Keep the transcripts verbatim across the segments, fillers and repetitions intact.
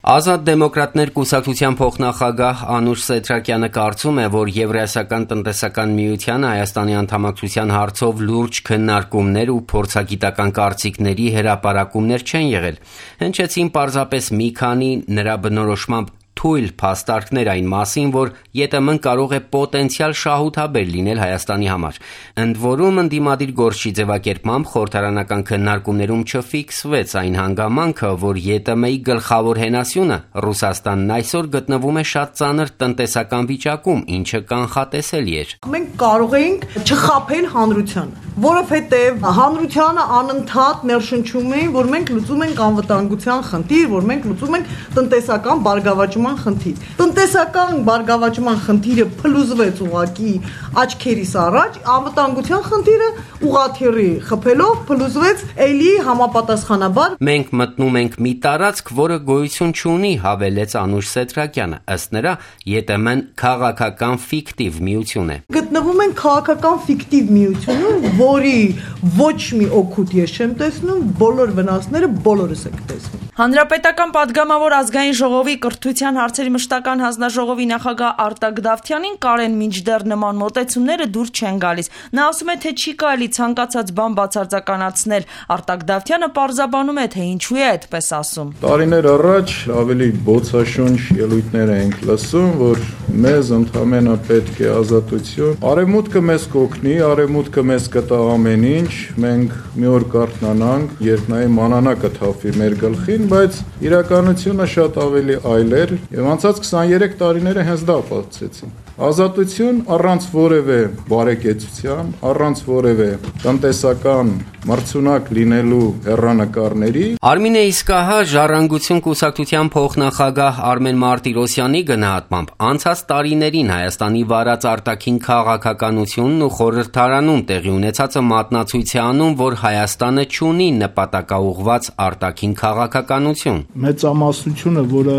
Ազատ դեմոկրատներ կուսակցության փոխնախագահ Անուշ Սեդրակյանը կարծում է, որ Եվրասիական տնտեսական միությանը Հայաստանի անդամակցության հարցով լուրջ քննարկումներ ու փորձագիտական կարծիքների հրապարակումներ չեն եղել։ Հնչեցին պարզապես մի քանի նրա բնորոշմամբ թույլ փաստարկներ այն մասին, որ ԵՏՄ-ն կարող է պոտենցիալ շահութաբեր լինել Հայաստանի համար։ Ընդ որում, ընդդիմադիր գործչի ձևակերպմամբ խորհրդարանական քննարկումներում չֆիքսվեց այն հանգամանքը, որ ԵՏՄ-ի գլխավոր հենասյունը Ռուսաստանն այսօր գտնվում է շատ ծանր տնտեսական վիճակում, ինչը կանխատեսելի էր։ Մենք կարող էինք չխաբել հանրությանը, որովհետև հանրությանը անընդհատ ներշնչում էին, որ մենք լուծում ենք անվտանգության խնդիր, որ մենք լուծում ենք տնտեսական բարգավաճման խնդիր։ Տնտեսական բարգավաճման խնդիրը փլուզվեց ուղղակի աչքերիս առաջ, անվտանգության խնդիրը ուղղաթիռի խփելով փլուզվեց էլի համապատասխանաբար։ Մենք մտնում ենք մի տարածք, որը գոյություն չունի, հավելեց Անուշ Սեդրակյանը։ Ըստ նրա, ԵՏՄ-ն քաղաքական ֆիկտիվ միություն է։ Գտնվում են քաղաքական ֆիկտիվ միությունում, որի ոչ մի օգուտ ես չեմ տեսնում, բոլոր վնասները բոլորս եք տեսնում։ Հանրապետական падգամավոր ազգային ժողովի կրթության հարցերի մշտական հանձնաժողովի նախագահ Արտակ Դավթյանին կարեն մինչդեռ նման մոտեցումները դուր չեն գալիս։ Նա ասում է, թե չի կարելի ցանկացած բան բացարձականացնել։ Արտակ Դավթյանը պարզաբանում է, թե ինչու է այդպես ասում։ Տարիներ առաջ ավելի բոցաշունչ ելույթներ ենք լսում, որ մեզ ընդհանրապես պետք է ազատություն։ Արևմուտքը մեզ կօգնի, արևմուտքը մեզ կտա ամեն ինչ, մենք մի օր կարթնանանք, երբ նայ մանանակը թափվի մեր գլխին, բայց իրականությունը շատ ավելի այլ էր, եւ անցած քսաներեք տարիները հենց դա ապացուցեցին։ Ազատություն առանց որևէ բարեկեցության, առանց որևէ տնտեսական մրցունակ լինելու հեռանկարների։ Արմինե իսկ ահա Ժառանգություն կուսակցության փոխնախագահ Արմեն Մարտիրոսյանի գնահատմամբ անցած տարիներին Հայաստանի վարած արտաքին քաղաքականությունն ու խորհրդարանում տեղի ունեցածը մատնացույց է անում, որ Հայաստանը չունի նպատակաուղղված արտաքին քաղաքականություն։ Մեծամասնությունը, որը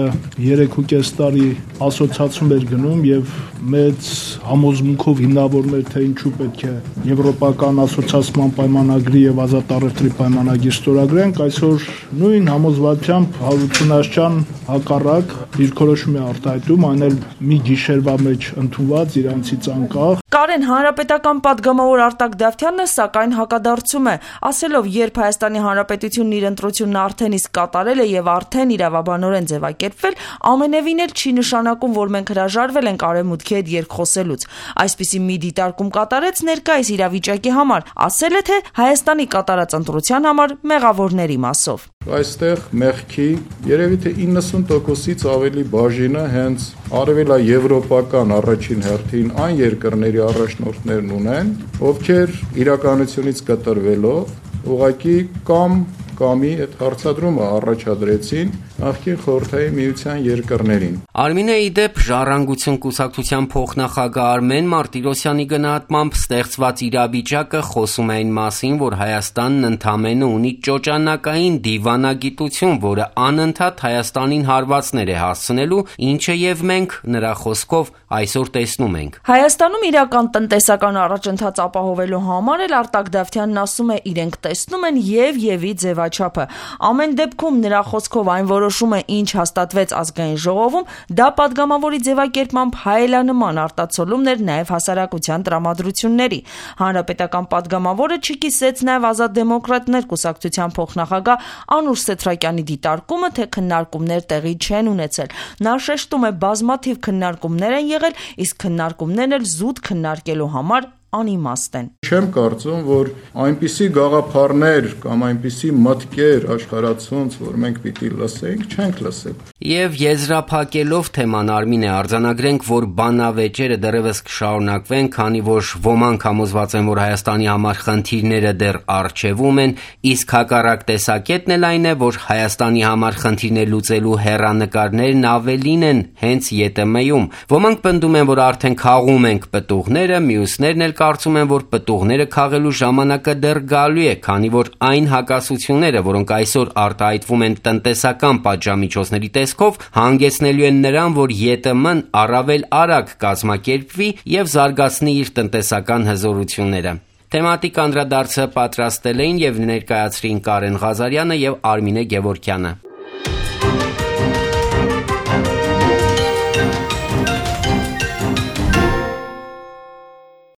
երեք ու կես տարի ասոցիացիում էր գնում եւ մեծ համոզմունքով հիմնավորում էր, թե ինչու պետք է եվրոպական ասոցիացիան պայմանագրի եւ ազատ առևտրի պայմանագիր ստորագրենք, այսօր նույն համոզվածությամբ Հարություն Աշճան հակառակ դիրքորոշում է արտահայտում, այն էլ մի գիշերվա մեջ ընդունված իրանցից անկախ։ Կարեն հանրապետական падգամավոր Արտակ Դավթյանը սակայն հակադարձում է, ասելով, երբ Հայաստանի Հանրապետությունն իր ընտրությունն արդեն իսկ կատարել է եւ արդեն իրավաբանորեն ձևակերպվել, ամենևին էլ չի նշանակում, որ մենք հրաժարվել ենք արևմուտքի հետ երկխոսելուց։ Այսպիսի մի դիտարկում կատարեց ներկայիս իրավիճակի համար, ասել է, թե Հայաստանի կատարած ընտրության համար մեղավորների մասով։ Այստեղ մեղքի երևի թե իննսուն տոկոսից ավելի բաժինը հենց արևելաեվրոպական առաջին հերթին այն երկրների առաջնորդներն ունեն, ովքեր իրականությունից կտրվելով ուղղակի կամ կամի այդ հարցադրումը առաջադրեցին նախկին խորհրդային միության երկրներին։ Արմինե ի դեպ Ժառանգություն կուսակցության փոխնախագահ Արմեն Մարտիրոսյանի գնահատմամբ ստեղծված իրավիճակը խոսում է այն մասին, որ Հայաստանն ընդամենը ունի ճոճանակային դիվանագիտություն, որը անընդհատ Հայաստանին հարվածներ է հասցնելու, ինչը եւ մենք նրա խոսքով այսօր տեսնում ենք։ Հայաստանում իրական տնտեսական առաջընթաց ապահովելու համար էլ Արտակ Դավթյանն ասում է, իրենք տեսնում են եւ եւի ձևաչափը։ Ամեն դեպքում նրա խոսքով այն որոշումը, ինչ հաստատվեց ազգային ժողովում, դա падգամավորի ձևակերպմամբ հայելանման արտացոլումն էր նաև հասարակության տրամադրությունների։ Հանրապետական падգամավորը չկիսեց նաև Ազատ դեմոկրատներ կուսակցության փոխնախագահ Անուշ Սեդրակյանի դիտարկումը, թե քննարկումներ տեղի չեն ունեցել։ Նա շեշտում է, բազմաթիվ քննարկումներ են եղել, իսկ քննարկումներն էլ զուտ քննարկելու համար անիմաստ են։ Չեմ կարծում, որ այնպիսի գաղափարներ կամ այնպիսի մտքեր աշխարհացունց, որ մենք պիտի լսենք, չենք լսել։ Եվ եզրափակելով թեման Արմինե արձանագրենք, որ բանավեճերը դեռևս կշարունակվեն, քանի որ ոմանք համոզված են, որ Հայաստանի համար խնդիրները դեռ առջևում են, իսկ հակառակ տեսակետն էլ այն է, որ Հայաստանի համար խնդիրներ լուծելու հեռանկարներն ավելին են հենց ԵՏՄ-ում։ Ոմանք պնդում են, որ արդեն քաղում ենք պտուղները, մյուսներն էլ կարծում են, որ պտուղները քաղելու ժամանակը դեռ գալու է, քանի որ այն հակասությունները, որոնք այսօր արտահայտվում են տնտեսական պատժամիջոցների տեսքով, հանգեցնելու են նրան, որ ԵՏՄ-ն առավել արագ կազմակերպվի եւ զարգացնի իր տնտեսական հզորությունները։ Թեմատիկ անդրադարձը պատրաստել էին եւ ներկայացրին Կարեն Ղազարյանը եւ Արմինե Գևորգյանը։